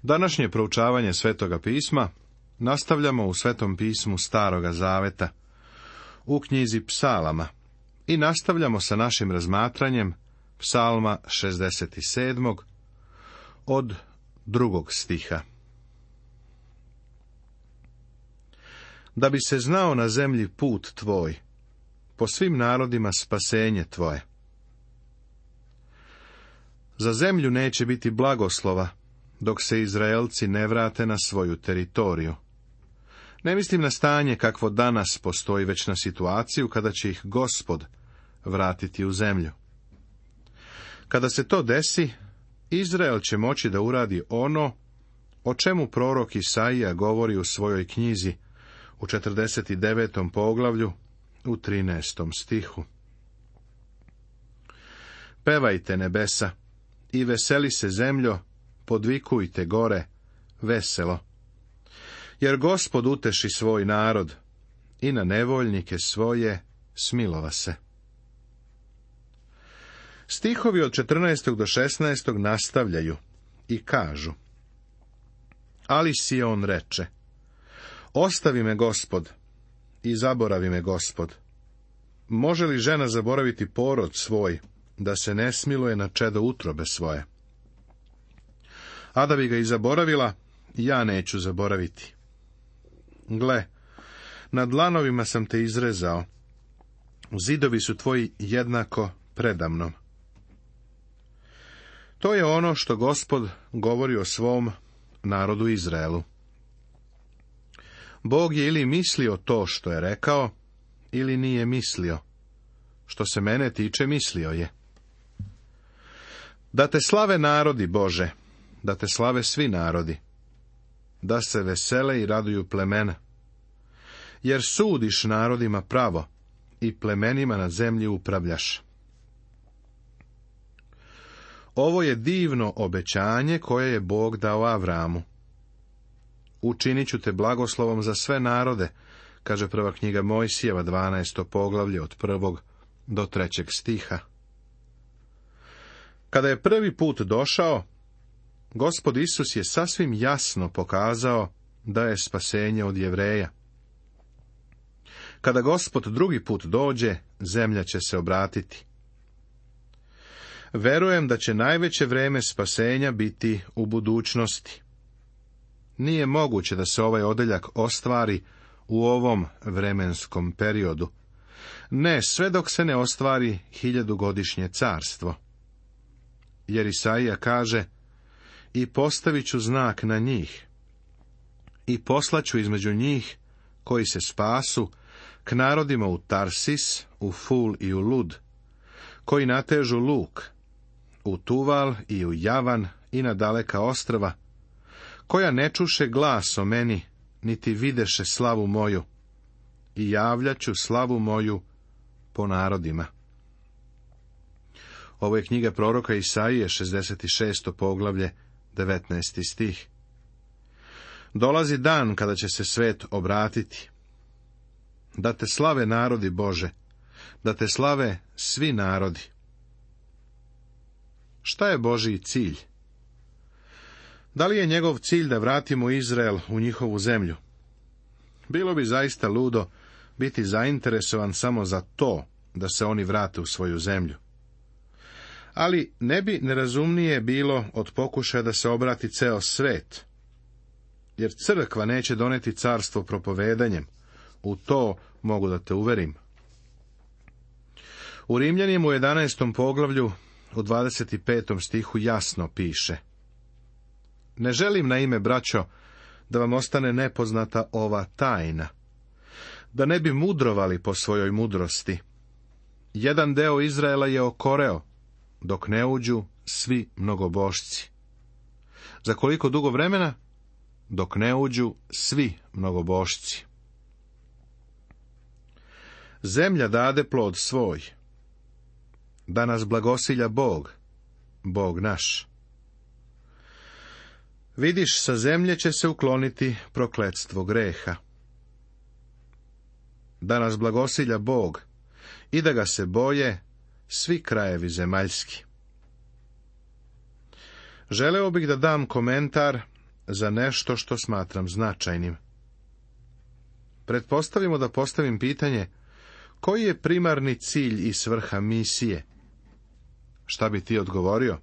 Današnje proučavanje Svetoga pisma nastavljamo u Svetom pismu Staroga zaveta, u knjizi Psalama, i nastavljamo sa našim razmatranjem Psalma 67. od 2. stiha. Da bi se znao na zemlji put tvoj, po svim narodima spasenje tvoje. Za zemlju neće biti blagoslova, dok se Izraelci ne vrate na svoju teritoriju. Ne mislim na stanje kakvo danas postoji, već na situaciju kada će ih Gospod vratiti u zemlju. Kada se to desi, Izrael će moći da uradi ono o čemu prorok Isaija govori u svojoj knjizi u 49. poglavlju u 13. stihu. Pevajte nebesa i veseli se zemljo, podvikujte gore, veselo. Jer Gospod uteši svoj narod i na nevoljnike svoje smilova se. Stihovi od 14. do 16. nastavljaju i kažu: Ali Sion reče: Ostavi me Gospod i zaboravi me Gospod. Može li žena zaboraviti porod svoj, da se ne smiluje na čedo utrobe svoje? A da bi ga i zaboravila, ja neću zaboraviti. Gle, na dlanovima sam te izrezao, zidovi su tvoji jednako predamnom. To je ono što Gospod govori o svom narodu Izraelu. Bog je ili mislio to što je rekao, ili nije mislio. Što se mene tiče, mislio je. Da te slave narodi, Bože, da te slave svi narodi, da se vesele i raduju plemena, jer sudiš narodima pravo i plemenima na zemlji upravljaš. Ovo je divno obećanje koje je Bog dao Avramu. Učinit ću te blagoslovom za sve narode, kaže prva knjiga Mojsijeva, 12. poglavlje od 1. do 3. stiha. Kada je prvi put došao, Gospod Isus je sasvim jasno pokazao da je spasenje od Jevreja. Kada Gospod drugi put dođe, zemlja će se obratiti. Verujem da će najveće vreme spasenja biti u budućnosti. Nije moguće da se ovaj odeljak ostvari u ovom vremenskom periodu. Ne, sve dok se ne ostvari 1000-godišnje carstvo. Jer Isaija kaže: I postavit ću znak na njih, i poslaću između njih koji se spasu k narodima u Tarsis, u Ful i u Lud, koji natežu luk, u Tuval i u Javan i na daleka ostrva, koja ne čuše glas o meni, niti videše slavu moju, i javljaću slavu moju po narodima. Ovo je knjiga proroka Isaije, 66. poglavlje, 19. stih. Dolazi dan kada će se svet obratiti. Da te slave narodi, Bože, da te slave svi narodi. Šta je Božji cilj? Da li je njegov cilj da vratimo Izrael u njihovu zemlju? Bilo bi zaista ludo biti zainteresovan samo za to da se oni vrate u svoju zemlju. Ali ne bi nerazumnije bilo od pokušaja da se obrati ceo svet, jer crkva neće doneti carstvo propovedanjem, u to mogu da te uverim. U Rimljanima u 11. poglavlju u 25. stihu jasno piše: Ne želim, na ime, braćo, da vam ostane nepoznata ova tajna, da ne bi mudrovali po svojoj mudrosti. Jedan deo Izraela je okoreo, dok ne uđu svi mnogobošci. Za koliko dugo vremena? Dok ne uđu svi mnogobošci. Zemlja dade plod svoj. Da nas blagosilja Bog, Bog naš. Vidiš, sa zemlje će se ukloniti prokletstvo greha. Da nas blagosilja Bog i da ga se boje svi krajevi zemaljski. Želeo bih da dam komentar za nešto što smatram značajnim. Pretpostavimo da postavim pitanje, koji je primarni cilj i svrha misije? Šta bi ti odgovorio?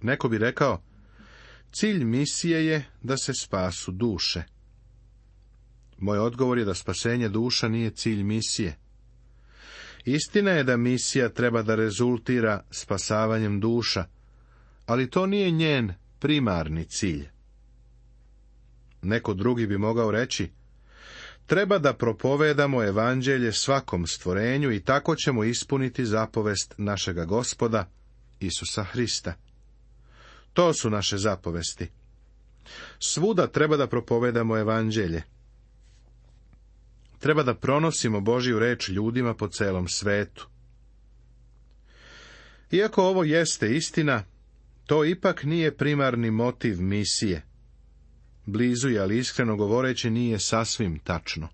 Neko bi rekao, cilj misije je da se spasu duše. Moj odgovor je da spasenje duša nije cilj misije. Istina je da misija treba da rezultira spasavanjem duša, ali to nije njen primarni cilj. Neko drugi bi mogao reći, treba da propovedamo evanđelje svakom stvorenju i tako ćemo ispuniti zapovest našega Gospoda, Isusa Hrista. To su naše zapovesti. Svuda treba da propovedamo evanđelje. Treba da pronosimo Božju reč ljudima po celom svetu. Iako ovo jeste istina, to ipak nije primarni motiv misije. Blizu je, ali iskreno govoreći nije sasvim tačno.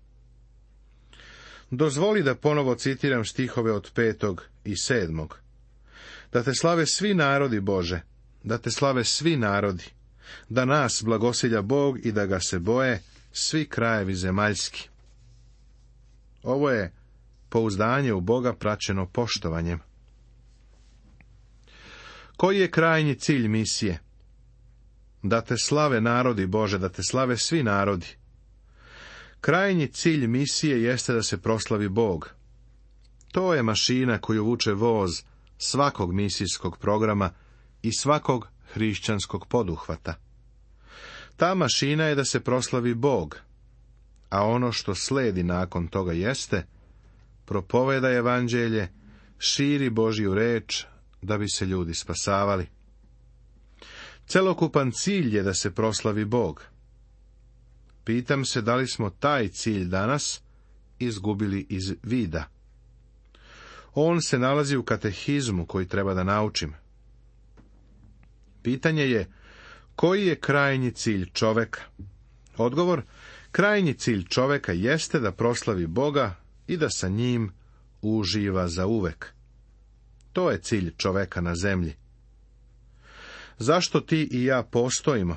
Dozvoli da ponovo citiram stihove od 5. i 7. Da te slave svi narodi, Bože, da te slave svi narodi, da nas blagosilja Bog i da ga se boje svi krajevi zemaljski. Ovo je pouzdanje u Boga praćeno poštovanjem. Koji je krajnji cilj misije? Da te slave narodi, Bože, da te slave svi narodi. Krajnji cilj misije jeste da se proslavi Bog. To je mašina koju vuče voz svakog misijskog programa i svakog hrišćanskog poduhvata. Ta mašina je da se proslavi Bog, a ono što sledi nakon toga jeste, propovedaj evanđelje, širi Božju reč, da bi se ljudi spasavali. Celokupan cilj je da se proslavi Bog. Pitam se da li smo taj cilj danas izgubili iz vida. On se nalazi u katehizmu koji treba da naučim. Pitanje je, koji je krajnji cilj čoveka? Odgovor, krajnji cilj čoveka jeste da proslavi Boga i da sa njim uživa zauvek. To je cilj čoveka na zemlji. Zašto ti i ja postojimo?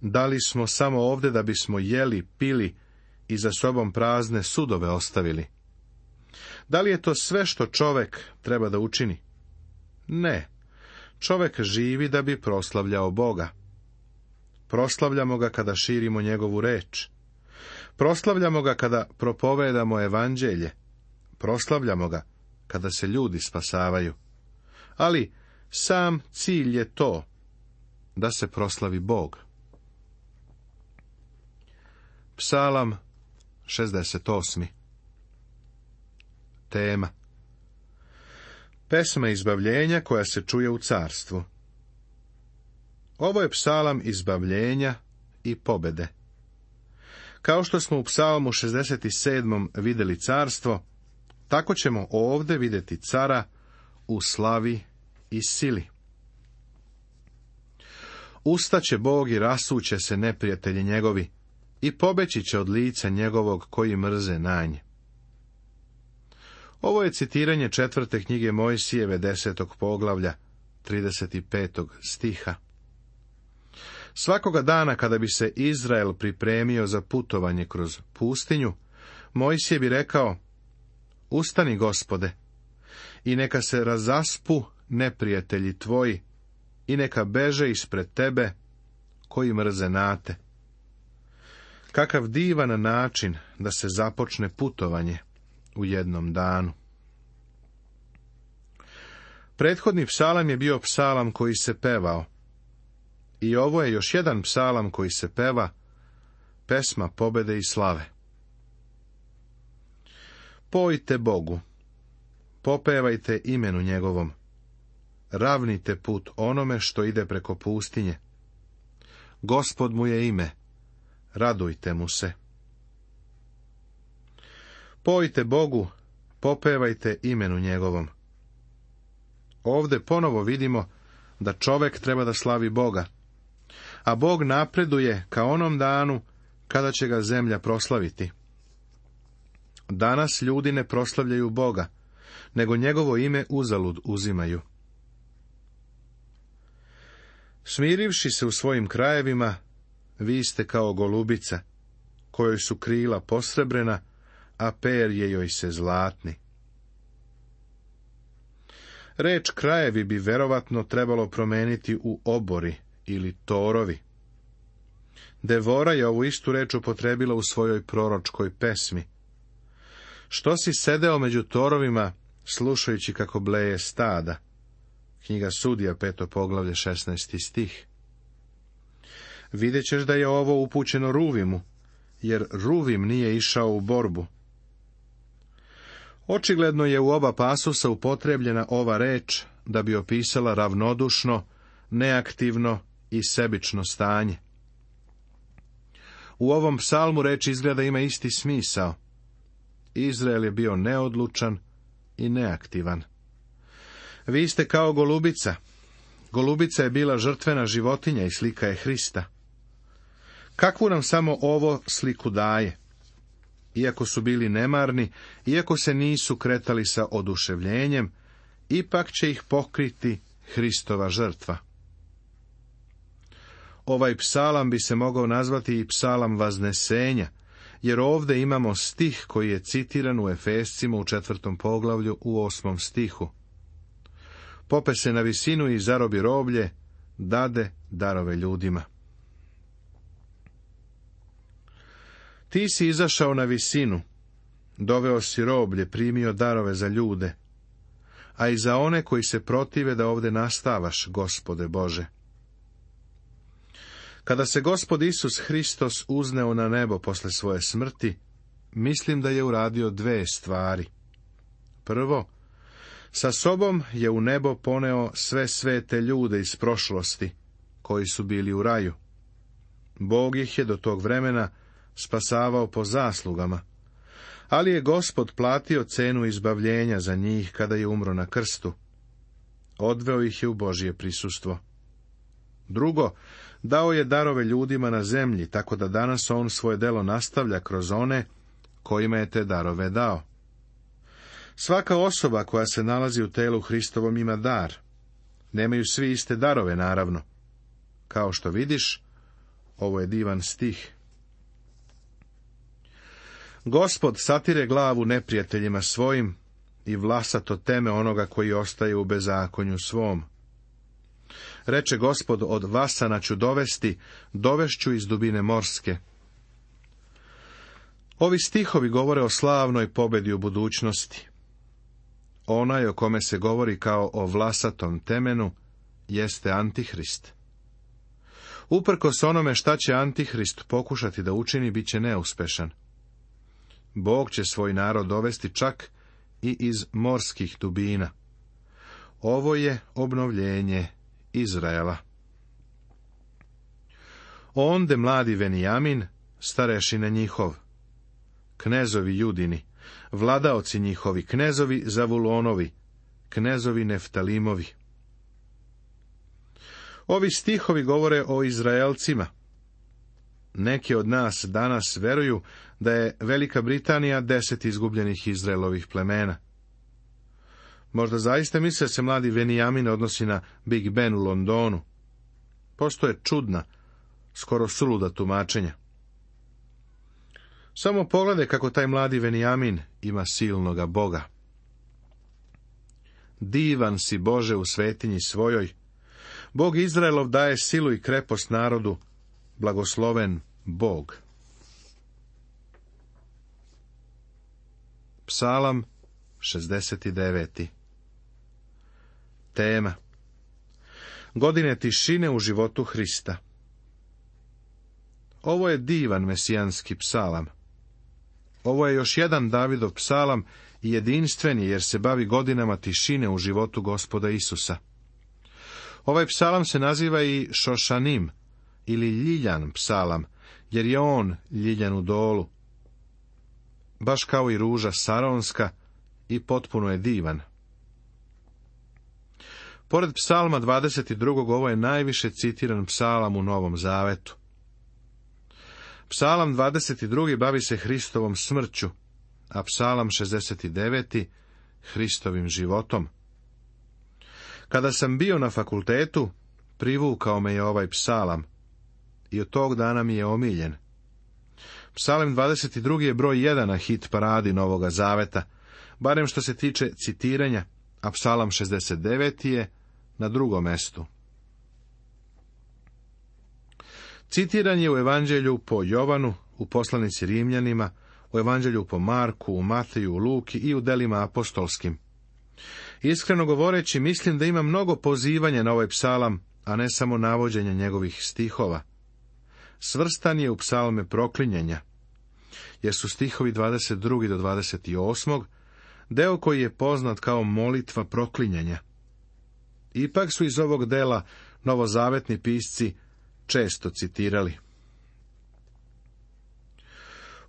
Da li smo samo ovde da bismo jeli, pili i za sobom prazne sudove ostavili? Da li je to sve što čovek treba da učini? Ne. Čovek živi da bi proslavljao Boga. Proslavljamo ga kada širimo njegovu reč. Proslavljamo ga kada propovedamo evanđelje. Proslavljamo ga kada se ljudi spasavaju. Ali sam cilj je to, da se proslavi Bog. Psalam 68. Tema. Pesma izbavljenja koja se čuje u carstvu. Ovo je psalam izbavljenja i pobede. Kao što smo u psalmu 67. vidjeli carstvo, tako ćemo ovdje vidjeti cara u slavi i sili. Ustaće Bog i rasuće se neprijatelji njegovi i pobeći će od lica njegovog koji mrze na nje. Ovo je citiranje 4. knjige Mojsijeve 10. poglavlja 35. stiha. Svakoga dana kada bi se Izrael pripremio za putovanje kroz pustinju, Mojsije bi rekao, ustani, Gospode, i neka se razaspu neprijatelji tvoji i neka beže ispred tebe koji mrze nate. Kakav divan način da se započne putovanje u jednom danu. Prethodni psalam je bio psalam koji se pevao. I ovo je još jedan psalam koji se peva, pesma pobede i slave. Pojte Bogu, popevajte imenu njegovom, ravnite put onome što ide preko pustinje. Gospod mu je ime, radujte mu se. Pojte Bogu, popevajte imenu njegovom. Ovdje ponovo vidimo da čovek treba da slavi Boga, a Bog napreduje ka onom danu kada će ga zemlja proslaviti. Danas ljudi ne proslavljaju Boga, nego njegovo ime uzalud uzimaju. Smirivši se u svojim krajevima, vi ste kao golubica, kojoj su krila posrebrena, a perje joj se zlatni. Reč krajevi bi verovatno trebalo promeniti u obori ili torovi. Devora je ovu istu reč upotrebila u svojoj proročkoj pesmi. Što si sedeo među torovima, slušajući kako bleje stada? Knjiga Sudija, 5. poglavlje, 16. stih. Vidjet ćeš da je ovo upućeno Ruvimu, jer Ruvim nije išao u borbu. Očigledno je u oba pasusa upotrebljena ova reč da bi opisala ravnodušno, neaktivno i sebično stanje. U ovom psalmu reč izgleda ima isti smisao. Izrael je bio neodlučan i neaktivan. Vi ste kao golubica. Golubica je bila žrtvena životinja i slika je Hrista. Kakvu nam samo ovo sliku daje? Iako su bili nemarni, iako se nisu kretali sa oduševljenjem, ipak će ih pokriti Hristova žrtva. Ovaj psalam bi se mogao nazvati i psalam vaznesenja, jer ovdje imamo stih koji je citiran u Efescima u 4. poglavlju u 8. stihu. Pope se na visinu i zarobi roblje, dade darove ljudima. Ti si izašao na visinu, doveo si roblje, primio darove za ljude, a i za one koji se protive da ovdje nastavaš, Gospode Bože. Kada se Gospod Isus Hristos uzneo na nebo posle svoje smrti, mislim da je uradio dve stvari. Prvo, sa sobom je u nebo poneo sve svete ljude iz prošlosti, koji su bili u raju. Bog ih je do tog vremena spasavao po zaslugama, ali je Gospod platio cenu izbavljenja za njih kada je umro na krstu. Odveo ih je u Božje prisustvo. Drugo, dao je darove ljudima na zemlji, tako da danas on svoje delo nastavlja kroz one kojima je te darove dao. Svaka osoba koja se nalazi u telu Hristovom ima dar. Nemaju svi iste darove, naravno. Kao što vidiš, ovo je divan stih. Gospod satire glavu neprijateljima svojim i vlasato teme onoga koji ostaje u bezakonju svom. Reče Gospod, od vasana ću dovesti, dovešću iz dubine morske. Ovi stihovi govore o slavnoj pobedi u budućnosti. Onaj o kome se govori kao o vlasatom temenu jeste Antihrist. Uprkos onome šta će Antihrist pokušati da učini, bit će neuspešan. Bog će svoj narod dovesti čak i iz morskih dubina. Ovo je obnovljenje Izraela. Onde mladi Venijamin, starešina njihov, knezovi Judini, vladaoci njihovi, knezovi Zavulonovi, knezovi Neftalimovi. Ovi stihovi govore o Izraelcima. Neki od nas danas veruju da je Velika Britanija 10 izgubljenih Izraelovih plemena. Možda zaista misle se mladi Venijamin odnosi na Big Ben u Londonu. Postoje čudna, skoro suluda tumačenja. Samo pogledaj kako taj mladi Venijamin ima silnoga Boga. Divan si, Bože, u svetinji svojoj. Bog Izraelov daje silu i krepost narodu. Blagosloven Bog. Psalam 69. Tema: godine tišine u životu Hrista. Ovo je divan mesijanski psalam. Ovo je još jedan Davidov psalam i jedinstven je jer se bavi godinama tišine u životu Gospoda Isusa. Ovaj psalam se naziva i Šošanim ili ljiljan psalam, jer je on ljiljan u dolu. Baš kao i ruža saronska i potpuno je divan. Pored psalma 22. ovo je najviše citiran psalam u Novom Zavetu. Psalam 22. bavi se Hristovom smrću, a psalam 69. Hristovim životom. Kada sam bio na fakultetu, privukao me je ovaj psalam i od tog dana mi je omiljen. Psalam 22. je broj 1 na hit paradi Novoga Zaveta, barem što se tiče citiranja, a psalam 69. je na drugom mestu. Citiran je u Evanđelju po Jovanu, u poslanici Rimljanima, u Evanđelju po Marku, u Mateju, u Luki i u delima apostolskim. Iskreno govoreći, mislim da ima mnogo pozivanja na ovaj psalam, a ne samo navođenja njegovih stihova. Svrstan je u psalme proklinjenja, jer su stihovi 22. do 28. deo koji je poznat kao molitva proklinjenja. Ipak su iz ovog dela novozavetni pisci često citirali.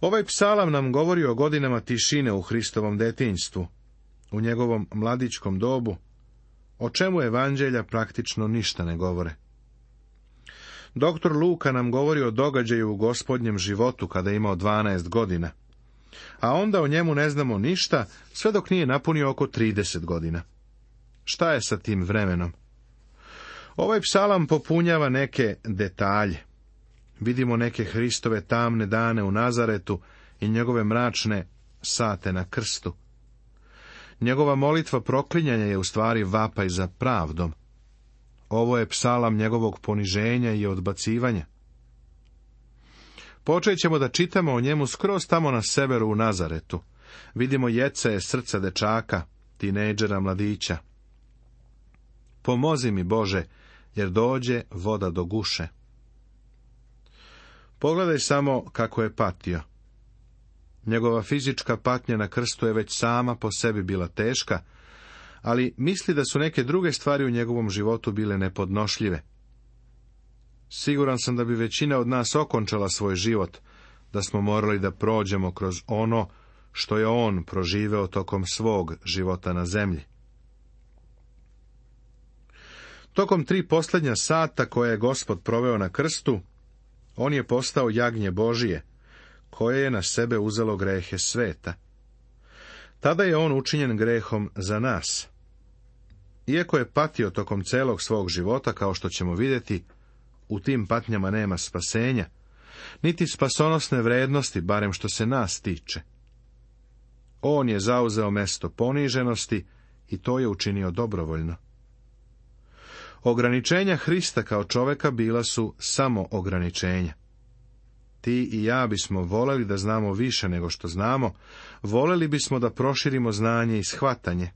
Ovaj psalam nam govori o godinama tišine u Hristovom detinjstvu, u njegovom mladičkom dobu, o čemu evanđelja praktično ništa ne govore. Doktor Luka nam govori o događaju u Gospodnjem životu kada je imao 12 godina, a onda o njemu ne znamo ništa sve dok nije napunio oko 30 godina. Šta je sa tim vremenom? Ovaj psalam popunjava neke detalje. Vidimo neke Hristove tamne dane u Nazaretu i njegove mračne sate na krstu. Njegova molitva proklinjanja je u stvari vapaj za pravdom. Ovo je psalam njegovog poniženja i odbacivanja. Počet ćemo da čitamo o njemu skroz tamo na severu u Nazaretu. Vidimo jecaje srca dečaka, tinejdžera mladića. Pomozi mi, Bože, jer dođe voda do guše. Pogledaj samo kako je patio. Njegova fizička patnja na krstu je već sama po sebi bila teška, ali misli da su neke druge stvari u njegovom životu bile nepodnošljive. Siguran sam da bi većina od nas okončala svoj život, da smo morali da prođemo kroz ono što je on proživeo tokom svog života na zemlji. Tokom 3 posljednja sata koje je Gospod proveo na krstu, on je postao jagnje Božije, koje je na sebe uzelo grehe sveta. Tada je on učinjen grehom za nas. Iako je patio tokom celog svog života, kao što ćemo vidjeti, u tim patnjama nema spasenja, niti spasonosne vrednosti, barem što se nas tiče. On je zauzeo mesto poniženosti i to je učinio dobrovoljno. Ograničenja Hrista kao čoveka bila su samo ograničenja. Ti i ja bismo voleli da znamo više nego što znamo, voleli bismo da proširimo znanje i shvatanje.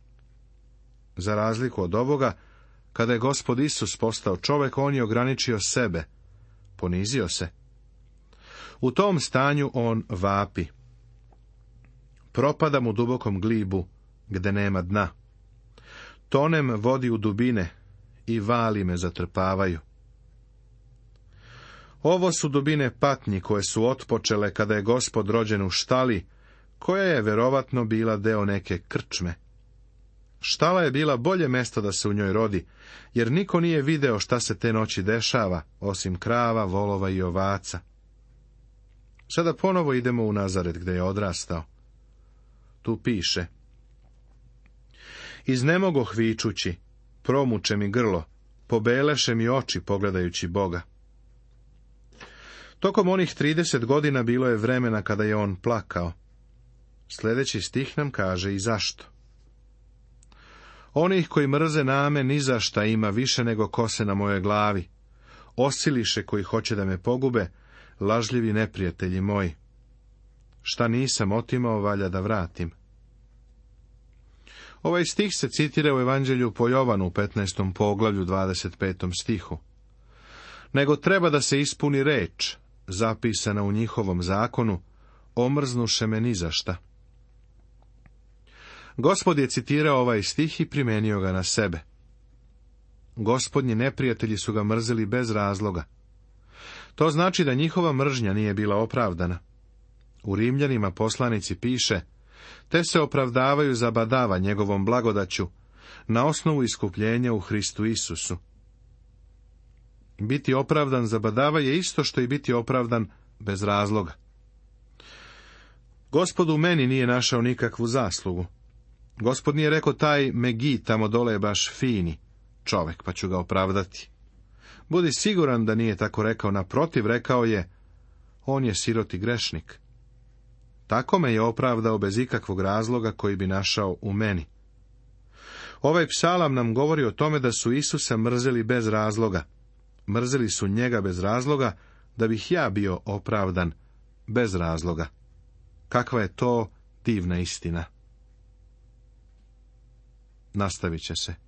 Za razliku od ovoga, kada je Gospod Isus postao čovek, on je ograničio sebe, ponizio se. U tom stanju on vapi. Propadam u dubokom glibu, gde nema dna. Tonem vodi u dubine i vali me zatrpavaju. Ovo su dubine patnji koje su otpočele kada je Gospod rođen u štali, koja je verovatno bila deo neke krčme. Štala je bila bolje mesto da se u njoj rodi, jer niko nije video šta se te noći dešava, osim krava, volova i ovaca. Sada ponovo idemo u Nazaret gde je odrastao. Tu piše: iznemogoh vičući, promuče mi grlo, pobeleše mi oči pogledajući Boga. Tokom onih 30 godina bilo je vremena kada je on plakao. Sljedeći stih nam kaže i zašto. Onih koji mrze name ni za šta ima više nego kose na mojoj glavi. Osiliše koji hoće da me pogube, lažljivi neprijatelji moji. Šta nisam otimao, valja da vratim. Ovaj stih se citira u Evanđelju po Jovanu u 15. poglavlju 25. stihu. Nego treba da se ispuni reč, zapisana u njihovom zakonu, omrznuše me ni za šta. Gospod je citirao ovaj stih i primenio ga na sebe. Gospodnji neprijatelji su ga mrzeli bez razloga. To znači da njihova mržnja nije bila opravdana. U Rimljanima poslanici piše: te se opravdavaju za badava njegovom blagodaću, na osnovu iskupljenja u Hristu Isusu. Biti opravdan za badava je isto što i biti opravdan bez razloga. Gospod u meni nije našao nikakvu zaslugu. Gospod nije rekao: taj Megi tamo dole je baš fini čovek, pa ću ga opravdati. Budi siguran da nije tako rekao, naprotiv, rekao je, on je siroti grešnik. Tako me je opravdao bez ikakvog razloga koji bi našao u meni. Ovaj psalam nam govori o tome da su Isusa mrzeli bez razloga. Mrzeli su njega bez razloga, da bih ja bio opravdan bez razloga. Kakva je to divna istina. Nastavit će se.